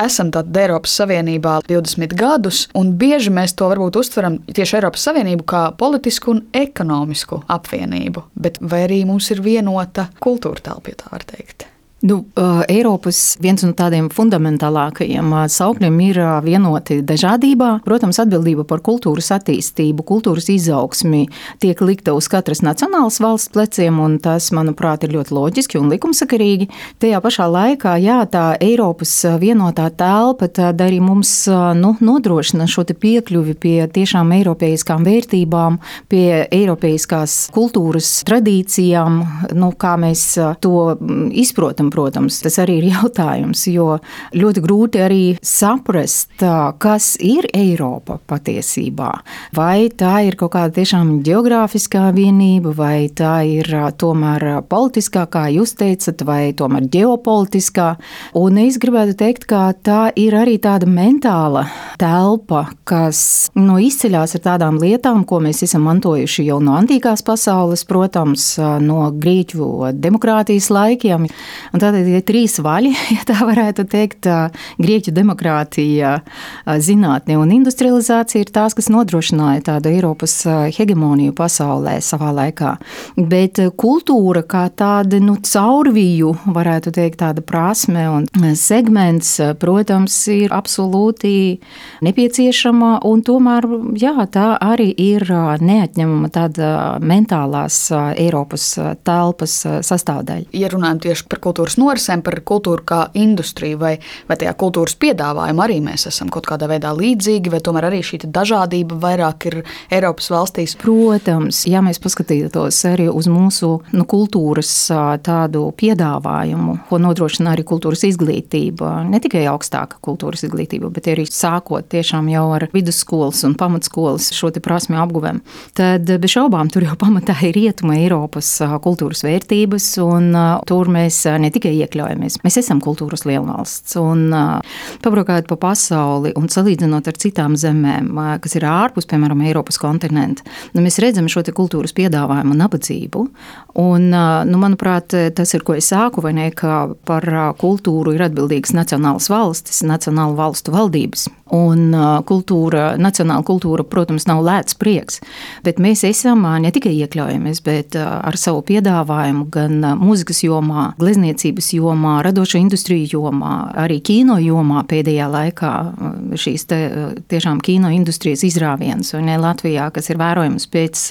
Esam tātad Eiropas Savienībā 20 gadus, un bieži mēs to varbūt uztveram tieši Eiropas Savienību kā politisku un ekonomisku apvienību. Bet vai arī mums ir vienota kultūra telpa, ja tā var teikt? Eiropas viens no tādiem fundamentālākajiem saukļiem ir vienoti dažādībā. Protams, atbildība par kultūras attīstību, kultūras izaugsmi tiek likta uz katras nacionālas valsts pleciem, un tas, manuprāt, ir ļoti loģiski un likumsakarīgi. Tajā pašā laikā, jā, tā Eiropas vienotā telpa tad arī mums nodrošina šo te piekļuvi pie tiešām eiropeiskām vērtībām, pie eiropeiskās kultūras tradīcijām, kā mēs to izprotam. Protams, tas arī ir jautājums, jo ļoti grūti arī saprast, kas ir Eiropa patiesībā. Vai tā ir kaut kāda tiešām geogrāfiskā vienība, vai tā ir tomēr politiskā, kā jūs teicat, vai tomēr ģeopolitiskā. Un es gribētu teikt, ka tā ir arī tāda mentāla telpa, kas izceļās ar tādām lietām, ko mēs esam mantojuši jau no antīkās pasaules, protams, no grieķu demokrātijas laikiem. Un tātad ir trīs vaļi, ja tā varētu teikt, grieķu demokrātija, zinātne un industrializācija ir tās, kas nodrošināja tādu Eiropas hegemoniju pasaulē savā laikā. Bet kultūra kā tāda, caurviju, varētu teikt, tāda prasme un segments, protams, ir absolūti nepieciešama un tomēr, jā, tā arī ir neatņemama tāda mentālās Eiropas telpas sastāvdaļa. Ja runājam tieši par kultūras norisēm, par kultūru kā industriju, vai tajā kultūras piedāvājumu arī mēs esam kaut kādā veidā līdzīgi, vai tomēr arī šī dažādība vairāk ir Eiropas valstīs? Protams, ja mēs paskatītos arī uz mūsu kultūras tādu piedāvājumu, ko nodrošina arī kultūras izglītība, ne tikai augstāka kultūras izglītība, bet arī sākot tiešām jau ar vidusskolas un pamatskolas šo te prasmju apguvēm, tad bez šaubām tur jau pamatā ir Rietuma Eiropas kultūras vērtības, un tur mēs ne tikai iekļaujamies. Mēs esam kultūras lielvalsts, un pabraukājot pa pasauli un salīdzinot ar citām zemēm, kas ir ārpus, piemēram, Eiropas kontinenta, mēs redzam šo te kultūras piedāvājumu nabadzību, un, manuprāt, tas ir, ko es sāku, vai ne, ka par kultūru ir atbildīgas nacionālas valstis, nacionālu valstu valdības, un nacionāla kultūra, protams, nav lēts prieks, bet mēs esam ne tikai iekļaujamies, bet ar savu piedāvājumu gan mūzikas jomā, glezniecības jomā, radošo industriju jomā, arī kino jomā pēdējā laikā šīs tiešām kino industrijas izrāviens, un Latvijā, kas ir vērojams pēc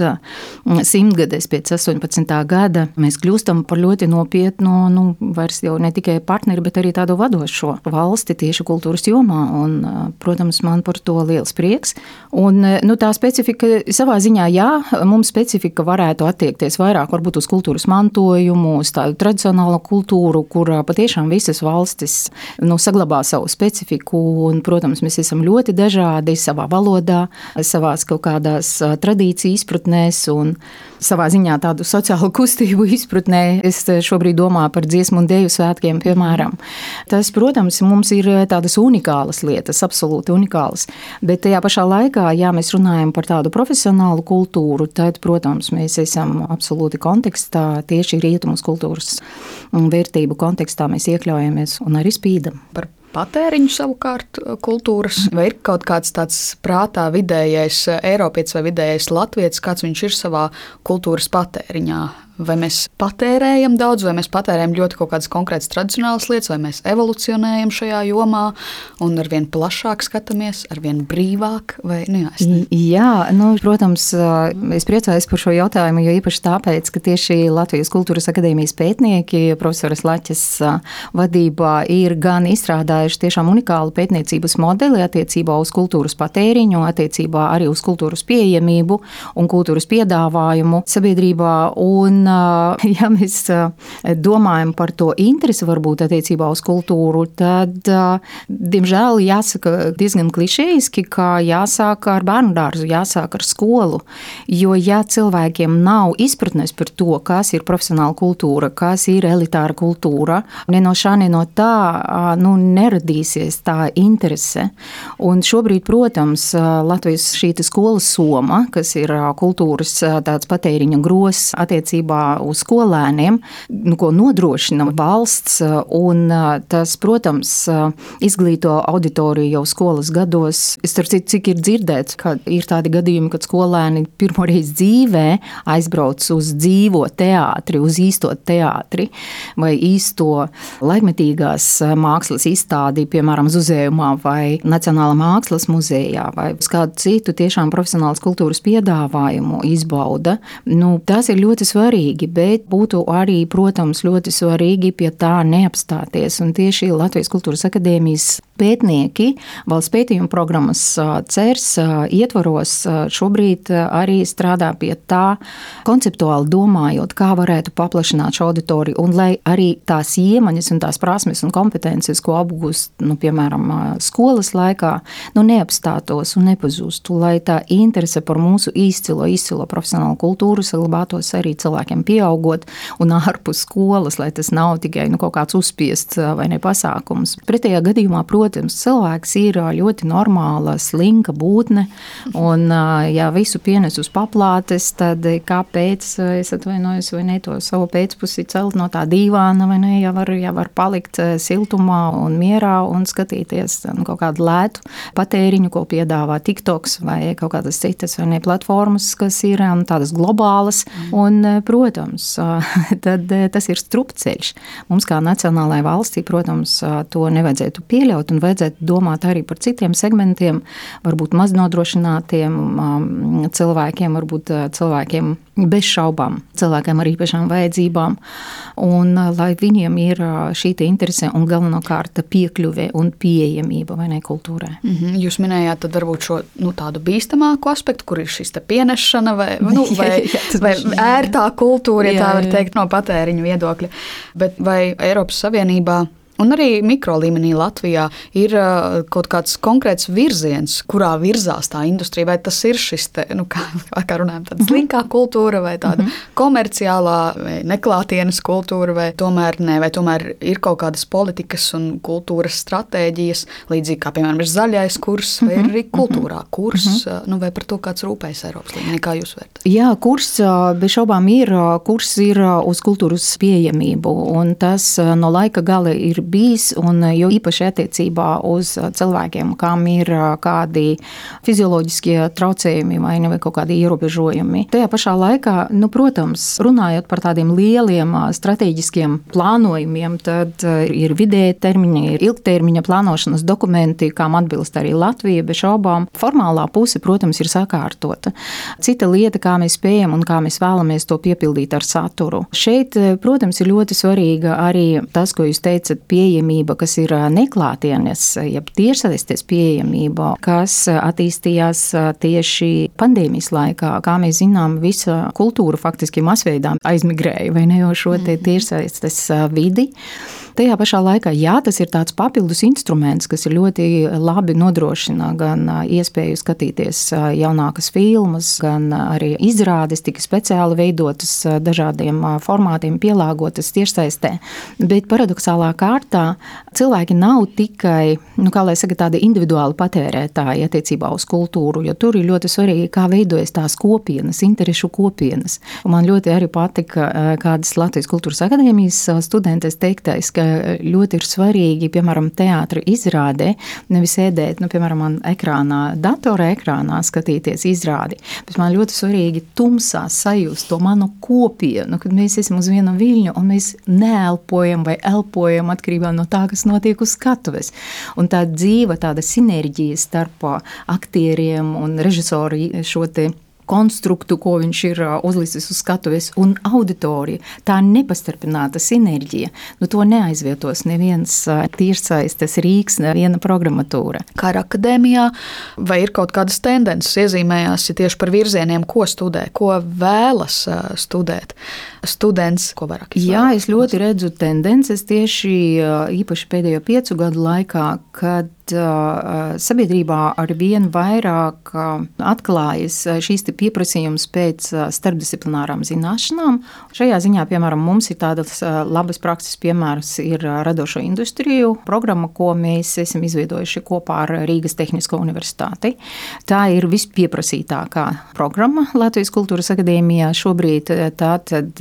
100-gades, pēc 18. gada, mēs kļūstam par ļoti nopietnu, vairs jau ne tikai partneri, bet arī tādu vadošo valsti tieši kultūras jomā, un, protams, man par to liels prieks. Un, tā specifika savā ziņā, jā, mums specifika varētu attiekties vairāk varbūt uz kultūras mantojumu, uz tādu tradicionālu kultūru, kur patiešām visas valstis saglabā savu specifiku, un, protams, mēs esam ļoti dažādi savā valodā, savās kaut kādās tradīciju izpratnēs un savā ziņā tādu sociālu kustību izpratnē. Es šobrīd domāju par dziesmu un deju svētkiem, piemēram. Tas, protams, mums ir tādas unikālas lietas, absolūti unikālas, bet tajā pašā laikā, ja mēs runājam par tādu profesionālu kultūru, tad, protams, mēs esam absolūti kontekstā, tieši rietumus kultūras vērtību kontekstā mēs iekļaujamies un arī spīdam. Par patēriņu savukārt kultūras, vai ir kaut kāds tāds prātā vidējais eiropietis vai vidējais latvietis, kāds viņš ir savā kultūras patēriņā? Vai mēs patērējam daudz, vai mēs patērējam ļoti kaut kādas konkrētas tradicionālas lietas, vai mēs evolucionējam šajā jomā un arvien plašāk skatāmies, arvien brīvāk? Jā, protams, es priecājos par šo jautājumu, jo īpaši tāpēc, ka tieši Latvijas Kultūras akadēmijas pētnieki profesoras Laķes vadībā ir gan izstrādājuši tiešām unikālu pētniecības modeli attiecībā uz kultūras patēriņu, attiecībā arī uz kultūras pieejamību un kultūras piedāvājumu sabiedrībā. Un, ja mēs domājam par to interesi varbūt attiecībā uz kultūru, tad, diemžēl, diemžēl jāsaka diezgan klišejiski, ka jāsāk ar bērnu dārzu, jāsāk ar skolu, jo ja cilvēkiem nav izpratnes par to, kas ir profesionāla kultūra, kas ir elitāra kultūra, ne no šā, ne no tā, neradīsies tā interese. Un šobrīd, protams, Latvijas šī skolas soma, kas ir kultūras tāds patēriņa gros attiecībā uz skolēniem, ko nodrošina valsts, un tas, protams, izglīto auditoriju jau skolas gados. Es starp citu, cik ir dzirdēts, ka ir tādi gadījumi, kad skolēni pirmoreiz dzīvē aizbrauc uz dzīvo teātri, uz īsto teātri vai īsto laikmetīgās mākslas izstādi, piemēram, Zuzējumā vai Nacionālā mākslas muzejā vai uz kādu citu tiešām profesionālas kultūras piedāvājumu izbauda. Tas ir ļoti svarīgi, bet būtu arī, protams, ļoti svarīgi pie tā neapstāties. Un tieši Latvijas Kultūras akadēmijas pētnieki valsts pētījuma programmas CERS ietvaros šobrīd arī strādā pie tā, konceptuāli domājot, kā varētu paplašināt šo auditoriju, un lai arī tās iemaņas un tās prasmes un kompetences, ko apgūst, piemēram, skolas laikā, neapstātos un nepazustu, lai tā interese par mūsu izcilo profesionālu kultūru saglabātos arī cilvēkiem pieaugot un ārpus skolas, lai tas nav tikai kaut kāds uzspiests vai ne pasākums. Pretējā gadījumā, protams, cilvēks ir ļoti normāla, slinka būtne, un ja visu pienes uz paplātes, tad kāpēc es atvainojos vai ne to savu pēcpusi celt no tā dīvāna, vai ne, ja var palikt siltumā un mierā un skatīties kaut kādu lētu patēriņu, ko piedāvā TikToks vai kaut kādas citas vai ne platformas, kas ir tādas globālas, un, protams, tad tas ir strupceļš. Mums kā nacionālajai valstī, protams, to nevajadzētu pieļaut un vajadzētu domāt arī par citiem segmentiem, varbūt maznodrošinātiem cilvēkiem, varbūt cilvēkiem bez šaubām, cilvēkiem ar īpašām vajadzībām, un lai viņiem ir šī interese un galvenokārt piekļuve un pieejamība vai ne kultūrai. Jūs minējāt tad varbūt šo tādu bīstamāku aspektu, kur ir šis te pienešana vai ērtā kultūra, ja tā var teikt, no patēriņu viedokļa. Bet vai Eiropas Savienībā un arī mikro līmenī Latvijā ir kaut kāds konkrēts virziens, kurā virzās tā industrija, vai tas ir šis te, kā runājam, tāda slinkā kultūra vai tāda komerciālā vai neklātienes kultūra, vai tomēr ne, vai tomēr ir kaut kādas politikas un kultūras stratēģijas, līdzīgi kā, piemēram, ir zaļais kurs, vai ir arī kultūrā kurs, vai par to kāds rūpējas Eiropas līmenī, kā jūs vērtat? Jā, kurs bez šaubām ir uz kultūras pieejamību, un tas no laika gala ir bijis, un jo īpaši attiecībā uz cilvēkiem, kam ir kādi fizioloģiskie traucējumi vai kaut kādi ierobežojumi. Tajā pašā laikā, protams, runājot par tādiem lieliem strateģiskiem plānojumiem, tad ir vidēja termiņa, ir ilgtermiņa plānošanas dokumenti, kam atbilst arī Latvija, bez šaubām. Formālā puse, protams, ir sakārtota. Cita lieta, kā mēs spējam un kā mēs vēlamies to piepildīt ar saturu. Šeit, protams, ir ļoti svarīga arī tas, ko jūs teicat, pieejamība, kas ir neklātienes, jeb tiešsaistes pieejamība, kas attīstījās tieši pandēmijas laikā. Kā mēs zinām, visa kultūra faktiski masveidā aizmigrēja vai ne jau šo tiešsaistes vidi. Tajā pašā laikā, jā, tas ir tāds papildus instruments, kas ir ļoti labi nodrošina gan iespēju skatīties jaunākas filmas, gan arī izrādes tika speciāli veidotas dažādiem formātiem, pielāgotas tiešsaistē. Bet paradoxālā kārtā cilvēki nav tikai, kā lai saka, tādi individuāli patērētāji attiecībā uz kultūru, jo tur ir ļoti svarīgi, kā veidojas tās kopienas, interešu kopienas. Un man ļoti arī patika kādas Latvijas Kultūras akadēmijas studentes teiktais, ka ļoti ir svarīgi, piemēram, teātra izrādē, nevis sēdēt, piemēram, man datora ekrānā skatīties izrādi, bet man ļoti svarīgi tumsā sajust to manu kopienu, kad mēs esam uz viena viļņa un mēs neelpojam vai elpojam atkarībā no tā, kas notiek uz skatuves. Un tā dzīva, tāda sinerģija starp aktieriem un režisoru šo te konstruktu, ko viņš ir uzlicis uz skatuves, un auditorija, tā nepastarpināta sinerģija, to neaizvietos neviens tiešsaistes rīks, neviena programmatūra. Kā ar akadēmijā, vai ir kaut kādas tendences iezīmējās tieši par virzieniem, ko studē, ko vēlas studēt students, ko vairāk izvēlas? Jā, es ļoti redzu tendences tieši īpaši pēdējo 5 gadu laikā, kad sabiedrībā ar vien vairāk atklājas šīs pieprasījums pēc starpdisciplinārām zināšanām. Šajā ziņā, piemēram, mums ir tādas labas prakses piemērs ir radošo industriju programma, ko mēs esam izveidojuši kopā ar Rīgas Tehnisko universitāti. Tā ir vispieprasītākā programma Latvijas Kultūras akadēmijā. Šobrīd tātad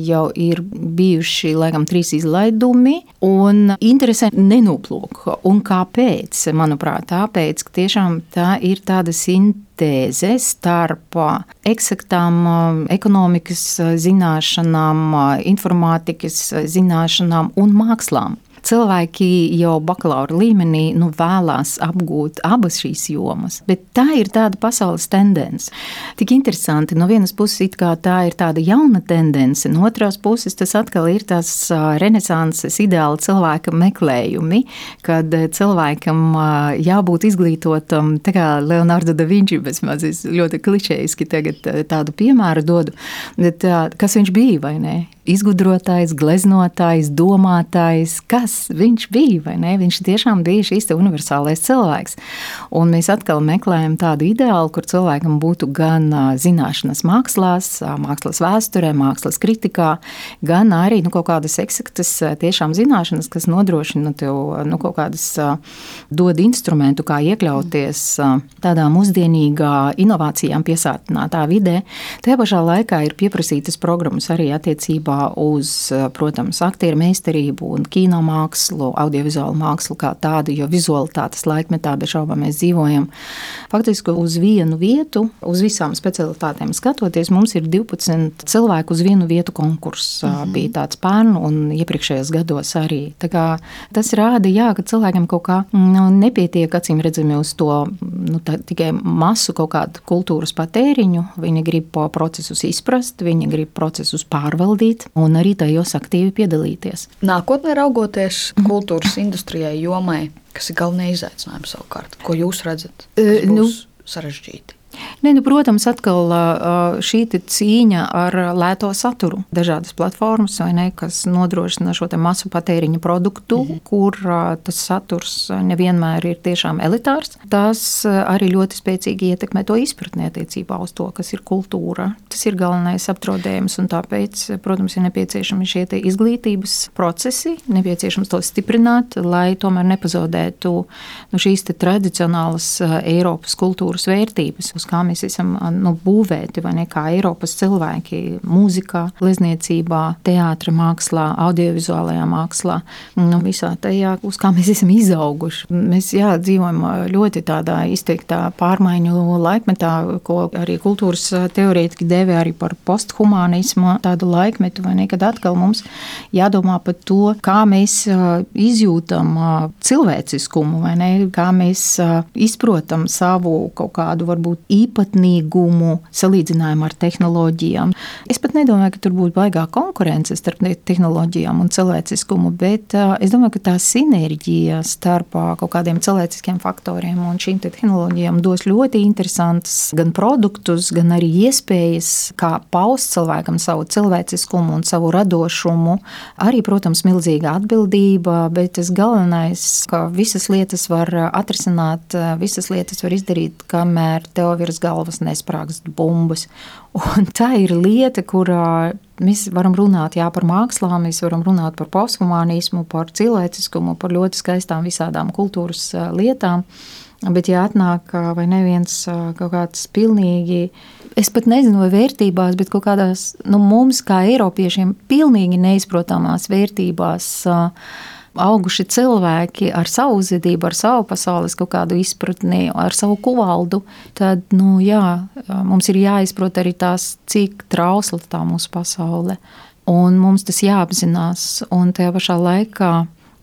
jau ir bijuši, laikam, 3 izlaidumi, un interese nenoplūk. Un kāpēc? Manuprāt, tāpēc, ka tiešām tā ir tāda sintēze starp eksaktām ekonomikas zināšanām, informātikas zināšanām un mākslām. Cilvēki jau bakalaura līmenī vēlās apgūt abas šīs jomas, bet tā ir tāda pasaules tendence. Tik interesanti, no vienas puses it kā tā ir tāda jauna tendence, no otras puses tas atkal ir tās renesanses ideāla cilvēka meklējumi, kad cilvēkam jābūt izglītotam, tā kā Leonardo da Vinci, bez mazas ļoti klišejiski tagad tādu piemēru dodu, bet kas viņš bija, vai ne? Izgudrotājs, gleznotājs, domātājs, kas viņš bija, vai ne? Viņš tiešām bija šīs universālais cilvēks. Un mēs atkal meklējam tādu ideālu, kur cilvēkam būtu gan zināšanas mākslās, mākslas vēsturē, mākslas kritikā, gan arī kaut kādas eksaktas tiešām zināšanas, kas nodrošina tev kaut kādas dod instrumentu, kā iekļauties tādā mūsdienīgā inovācijām piesātinātā vidē. Tajā pašā laikā ir pieprasītas programmas arī attiecībā uz, protams, aktieru meistarību un kinomākslu, audiovizuālu mākslu kā tādu, jo vizualitātes laikmetā bez šaubām mēs dzīvojam. Faktiski uz vienu vietu, uz visām specialitātēm skatoties, mums ir 12 cilvēku uz vienu vietu konkurss. Bija tāds pērn un iepriekšējos gados arī. Tā kā tas rāda, ka cilvēkiem kaut kā nepietiek, acīm redzami, uz to tikai masu kaut kādu kultūras patēriņu. Viņi grib procesus izprast, viņi grib procesus pārvaldīt un arī tajos aktīvi piedalīties. Nākotnē raugoties kultūras industrijai jomai, kas ir galvenie izaicinājumi savukārt, ko jūs redzat, kas būs sarežģīti? Protams, atkal šī cīņa ar lēto saturu. Dažādas platformas, vai ne, kas nodrošina šo masu patēriņu produktu, kur tas saturs nevienmēr ir tiešām elitārs. Tas arī ļoti spēcīgi ietekmē to izpratni attiecībā uz to, kas ir kultūra. Tas ir galvenais apdraudējums, un tāpēc, protams, ir nepieciešami šie izglītības procesi, nepieciešams to stiprināt, lai tomēr nepazaudētu šīs tradicionālas Eiropas kultūras vērtības, uz kā mēs esam būvēti, vai ne, kā Eiropas cilvēki mūzikā, glezniecībā, teātra mākslā, audiovizuālajā mākslā, visā tajā, uz kā mēs esam izauguši. Mēs dzīvojam ļoti tādā izteiktā pārmaiņu laikmetā, ko arī kultūras teorētiķi dēvē arī par posthumānismu, tādu laikmetu, vai ne, kad atkal mums jādomā par to, kā mēs izjūtam cilvēciskumu, vai ne, kā mēs izprotam savu kaut kādu varbūt īpatnīgumu salīdzinājumu ar tehnoloģijām. Es pat nedomāju, ka tur būtu baigā konkurence starp tehnoloģijām un cilvēciskumu, bet es domāju, ka tā sinerģija starp kaut kādiem cilvēciskiem faktoriem un šīm tehnoloģijām dos ļoti interesantus gan produktus, gan arī iespējas, kā paust cilvēkam savu cilvēciskumu un savu radošumu. Arī, protams, milzīga atbildība, bet tas galvenais, ka visas lietas var atrisināt, visas lietas var izdarīt, kamēr tev virs galvas nesprāgst bumbas. Un tā ir lieta, kurā mēs varam runāt par mākslām, mēs varam runāt par posthumānismu, par cilvēciskumu, par ļoti skaistām visādām kultūras lietām. Bet atnāk vai neviens kaut kāds pilnīgi, es pat nezinu, vai vērtībās, bet kaut kādās mums kā Eiropiešiem pilnīgi neizprotamās vērtībās auguši cilvēki ar savu uzvedību, ar savu pasaules kaut kādu izpratni, ar savu kuvaldu, tad, mums ir jāizprot arī tās, cik trausla tā mūsu pasaule. Un mums tas jāapzinās, un tajā pašā laikā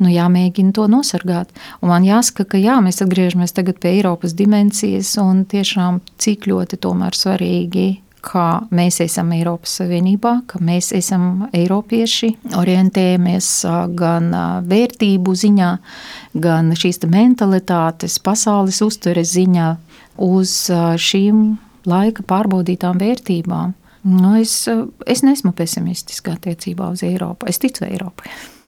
jāmēģina to nosargāt. Un man jāsaka, ka mēs atgriežamies tagad pie Eiropas dimensijas, un tiešām cik ļoti tomēr svarīgi, ka mēs esam Eiropas Savienībā, ka mēs esam eiropieši, orientējamies gan vērtību ziņā, gan šīs mentalitātes, pasaules uztveres ziņā uz šīm laika pārbaudītām vērtībām. Es neesmu pesimistiska attiecībā uz Eiropu. Es ticu Eiropai.